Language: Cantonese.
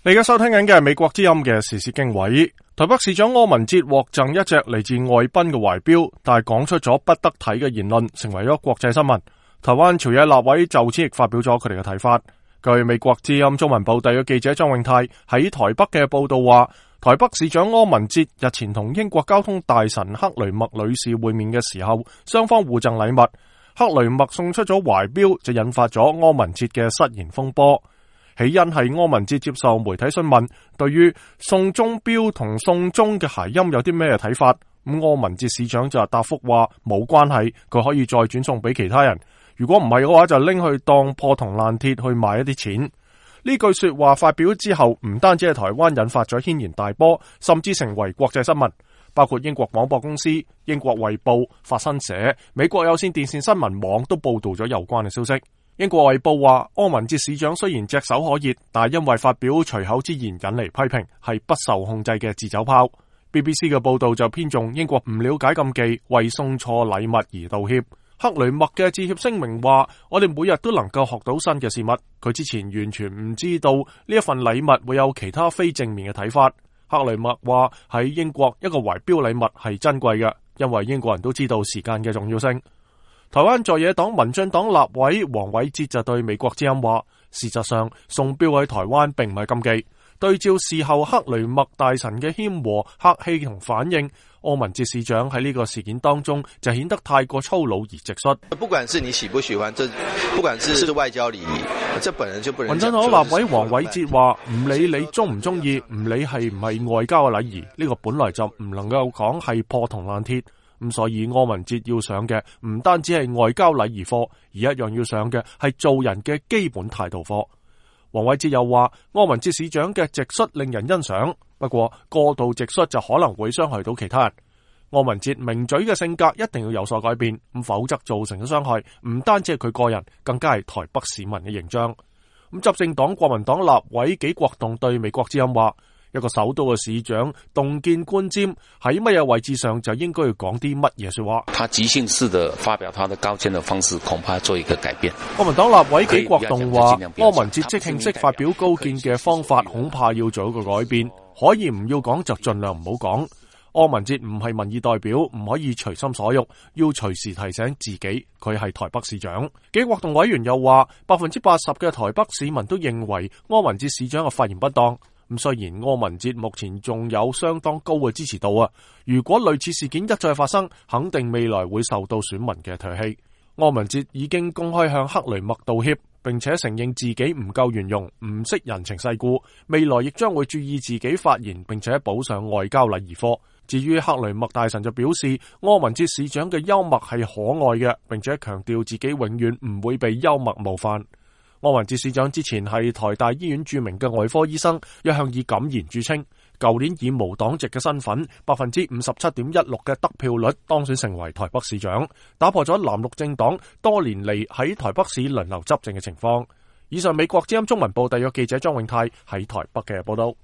你而家收聽緊嘅係美國之音嘅時事經緯。台北市長柯文哲獲贈一隻嚟自外賓嘅懷錶，但係講出咗不得體嘅言論，成為咗國際新聞。台灣朝野立委就此亦發表咗佢哋嘅睇法。據美國之音中文部第嘅記者張永泰喺台北嘅報道話，台北市長柯文哲日前同英國交通大臣克雷默女士會面嘅時候，雙方互贈禮物。克雷默送出咗懷錶，就引發咗柯文哲嘅失言風波。起因係柯文哲接受媒體詢問，對於送鐘錶同送鐘嘅諧音有啲咩睇法？柯文哲市長就答覆話冇關係，佢可以再轉送俾其他人。如果唔係嘅話，就拎去當破銅爛鐵去賣一啲錢。呢句說話發表之後，唔單止係台灣引發咗軒然大波，甚至成為國際新聞，包括英國廣播公司、英國衛報、法新社、美國有線電視新聞網都報道咗有關嘅消息。英國衛報話，柯文哲市長雖然隻手可熱，但因為發表隨口之言引嚟批評，係不受控制嘅自走炮。BBC 嘅報道就偏重英國唔了解禁忌，為送錯禮物而道歉。克雷默嘅致歉聲明話，我哋每日都能夠學到新嘅事物。佢之前完全唔知道呢一份禮物會有其他非正面嘅睇法。克雷默話喺英國一個懷錶禮物係珍貴嘅，因為英國人都知道時間嘅重要性。台灣在野黨民進黨立委黃偉哲就對美國之音話，事實上送錶喺台灣並唔係禁忌。對照事後克雷默大臣嘅謙和客氣同反應，柯文哲市長喺呢個事件當中就顯得太過粗魯而直率。不管是你喜不喜歡，不管是外交禮儀，這本人就不能。民進黨立委黃偉哲話，唔理你中唔中意，唔理係唔係外交嘅禮儀，呢個本來就唔能夠講係破銅爛鐵。咁所以柯文哲要上嘅唔單止係外交禮儀課，而一樣要上嘅係做人嘅基本態度課。黃偉哲又話，柯文哲市長嘅直率令人欣賞，不過過度直率就可能會傷害到其他人。柯文哲名嘴嘅性格一定要有所改變，否則造成嘅傷害唔單止係佢個人，更加係台北市民嘅形象。執政黨國民黨立委紀國棟對美國之音話，一個首都嘅市長洞見觀瞻，喺乜嘢位置上就應該要講啲乜嘢說話。他即興式的發表他的高見的方式，恐怕做一個改變。國民黨立委紀國棟話，柯文哲即興式發表高見嘅方法，恐怕要做一個改變。可以唔要講就盡量唔好講。柯文哲唔係民意代表，唔可以隨心所欲，要隨時提醒自己佢係台北市長。紀國棟委員又話，80%嘅台北市民都認為柯文哲市長嘅發言不當。雖然柯文哲目前仲有相當高嘅支持度啊，如果類似事件一再發生，肯定未來會受到選民嘅唾棄。柯文哲已經公開向克雷默道歉，並且承認自己唔夠圓融，唔識人情世故，未來亦將會注意自己發言，並且補上外交禮儀課。至於克雷默大臣就表示，柯文哲市長嘅幽默係可愛嘅，並且強調自己永遠唔會被幽默冒犯。柯文哲市長之前係台大醫院著名嘅外科醫生，一向以敢言著稱。舊年以無黨籍嘅身份，57.16%嘅得票率當選成為台北市長，打破咗藍綠政黨多年嚟喺台北市輪流執政嘅情況。以上美國之音中文部特約記者張永泰喺台北嘅報道。